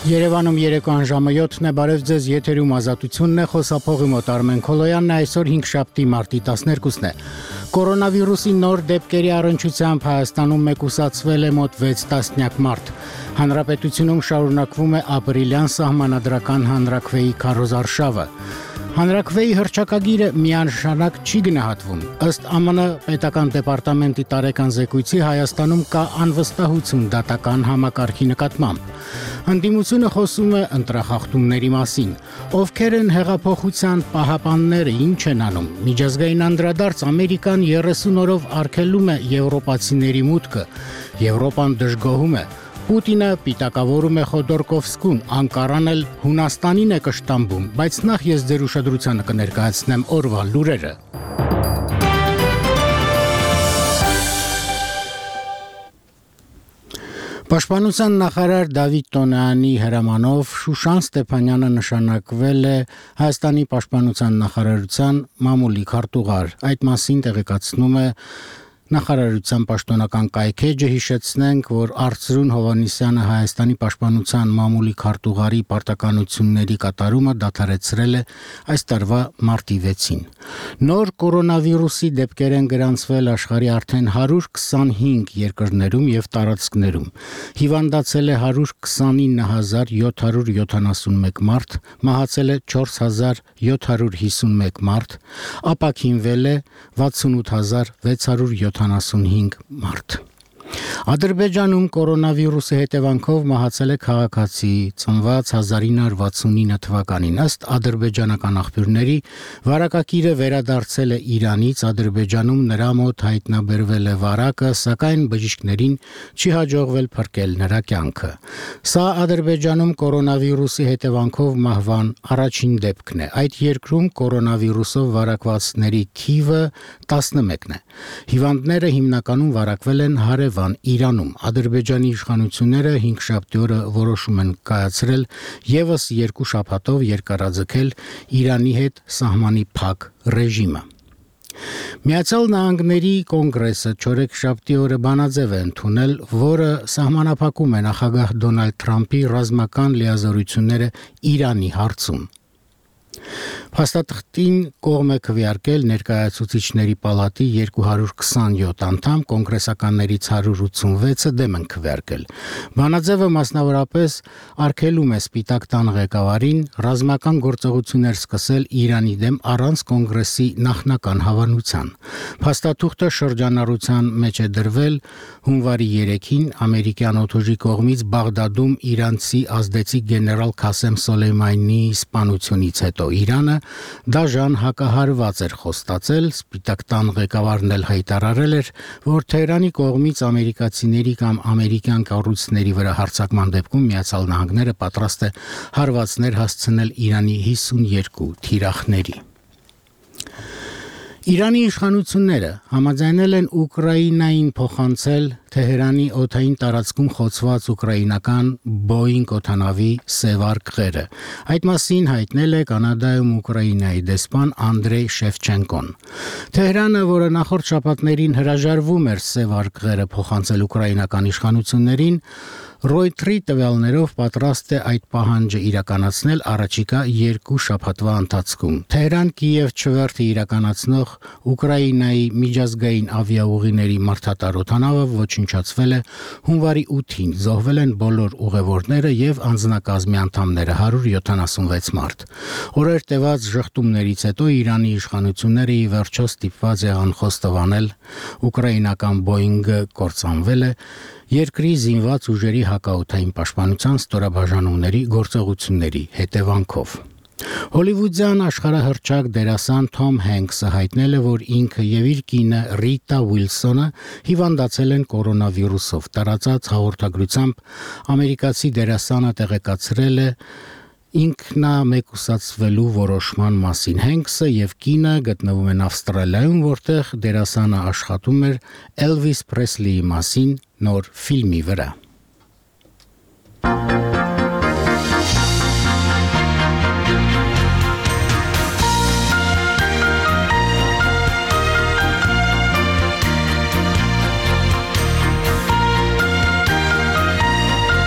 Երևանում երեկոյան ժամը 7-ն է, բարև ձեզ, եթերում ազատությունն է, խոսափողի մոտ Արմեն Քոլոյանն է, այսօր 5-շաբթի մարտի 12-ն է։ Կորոնավիրուսի նոր դեպքերի առնչությամբ Հայաստանում մեկուսացվել է մոտ 6 տասնյակ մարդ։ Հանրապետությունում շարունակվում է ապրիլյան սահմանադրական հանրաքվեի քարոզարշավը։ Հանրաքվեի հռչակագիրը միանշանակ չի գնահատվում։ Ըստ ԱՄՆ պետական դեպարտամենտի տարեկան զեկույցի Հայաստանում կա անվստահություն դատական համակարգի նկատմամբ։ Ընդդիմությունը խոսում է ընտրախախտումների մասին։ Ովքեր են հեղափոխության պահապանները, ինչ են անում։ Միջազգային անդրադարձ Ամերիկան 30 օրով արգելում է եվրոպացիների մուտքը։ Եվրոպան դժգոհում է։ Պուտինը պիտակավորում է Խոդորկովսկուն, Անկարան էլ Հունաստանին է կշտամբում, բայց նախ ես ձեր ուշադրությանը կներկայացնեմ օրվա լուրերը։ Պաշտպանության նախարար Դավիթ Տոնյանի հրամանով Շուշան Ստեփանյանը նշանակվել է Հայաստանի պաշտպանության նախարարության մամուլի քարտուղար։ Այդ մասին տեղեկացնում է Նախարարության պաշտոնական կայքեջը, հիշեցնենք, որ Արծրուն Հովհաննիսյանը Հայաստանի պաշտպանության մամուլի քարտուղարի պարտականությունների կատարումը դադարեցրել է այս տարվա մարտի 6-ին։ Նոր կորոնավիրուսի դեպքեր են գրանցվել աշխարհի արդեն 125 երկրներում եւ տարածքներում։ Հիվանդացել է 129771 մարդ, մահացել է 4751 մարդ, ապաքինվել է 68675 մարդ։ Ադրբեջանում կորոնավիրուսի հետևանքով մահացել է քաղաքացի, ծնված 1969 թվականին։ Ըստ ադրբեջանական աղբյուրների, վարակագիրը վերադարձել է Իրանից, Ադրբեջանում նրա մոտ հայտնաբերվել է վարակը, սակայն բժիշկներին չի հաջողվել փրկել նրա կյանքը։ Սա Ադրբեջանում կորոնավիրուսի հետևանքով մահվան առաջին դեպքն է։ Այդ երկրում կորոնավիրուսով վարակվածների թիվը 11-ն է։ Հիվանդները հիմնականում վարակվել են հարևան Իրանում։ Ադրբեջանի իշխանությունները 5-շաբթի օրը որոշում են կայացրել եւս 2 շաբաթով երկարաձգել Իրանի հետ սահմանի փակ ռեժիմը։ Միացյալ Նահանգների կոնգրեսը չորեքշաբթի օրը բանաձև է ընդունել, որը սահմանափակում է նախագահ Դոնալդ Թրամփի ռազմական լիազորությունները Իրանի հարցում։ Փաստաթղթին կողմ է քվեարկել Ներկայացուցիչների պալատի 227 անդամ, կոնգրեսականներից 186-ը դեմ են քվեարկել։ Բանաձևը մասնավորապես արգելում է Սպիտակ տան ղեկավարին ռազմական գործողություններ սկսել Իրանի դեմ առանց կոնգրեսի նախնական հավանության։ Փաստաթուղթը շրջանառության մեջ է դրվել հունվարի 3-ին ամերիկյան օդուժի կողմից Բաղդադում իրանցի ազդեցիկ գեներալ Քասեմ Սոլեյմանիի սպանությունից հետո Իրանը դաժան հակահարված էր խոստացել, Սպիտակ տան ղեկավարն էլ հայտարարել էր, որ Թեհրանի կողմից ամերիկացիների կամ ամերիկյան կառույցների վրա հարձակման դեպքում Միացյալ Նահանգները պատրաստ է հարվածներ հասցնել Իրանի 52 թիրախների։ Իրանի իշխանությունները համաձայնել են Ուկրաինային փոխանցել Թեհրանի օդային տարածքում խոցված ուկրաինական Boeing օդանավի սև արկղերը։ Այդ մասին հայտնել է Կանադայում Ուկրաինայի դեսպան Անդրեյ Շևչենկոն։ Թեհրանը, որը նախորդ շաբաթներին հրաժարվում էր սև արկղերը փոխանցել ուկրաինական իշխանություններին, Ռոյթերի տվյալներով պատրաստ է այդ պահանջը իրականացնել առաջիկա 2 շաբաթվա ընթացքում։ Թեհրան-Կիև չվերթը իրականացնող Ուկրաինայի միջազգային ավիաուղիների մարդատար օդանավը ոչնչացվել է հունվարի 8-ին, զոհվել են բոլոր ուղևորները եւ անձնակազմի անդամները 176 մարդ։ Օրեր տևած ժխտումներից հետո Իրանի իշխանությունները ի վերջո ստիպված եղան խոստովանել ուկրաինական Boeing-ը կործանվել է երկրի զինված ուժերի հակաօդային պաշտպանության ստորաբաժանումների գործողությունների հետևանքով։ Հոլիվուդյան աշխարհահռչակ դերասան Թոմ Հենքսը հայտնել է, որ ինքը եւ իր կինը Ռիտա Ուիլսոնը հիվանդացել են կորոնավիրուսով։ Տարածած հաղորդագրությամբ ամերիկացի դերասանը տեղեկացրել է ինքնամեկուսացվելու որոշման մասին։ Հենքսը եւ կինը գտնվում են Ավստրալիայում, որտեղ դերասանը աշխատում էր Էլվիս Պրեսլիի մասին նոր ֆիլմի վրա։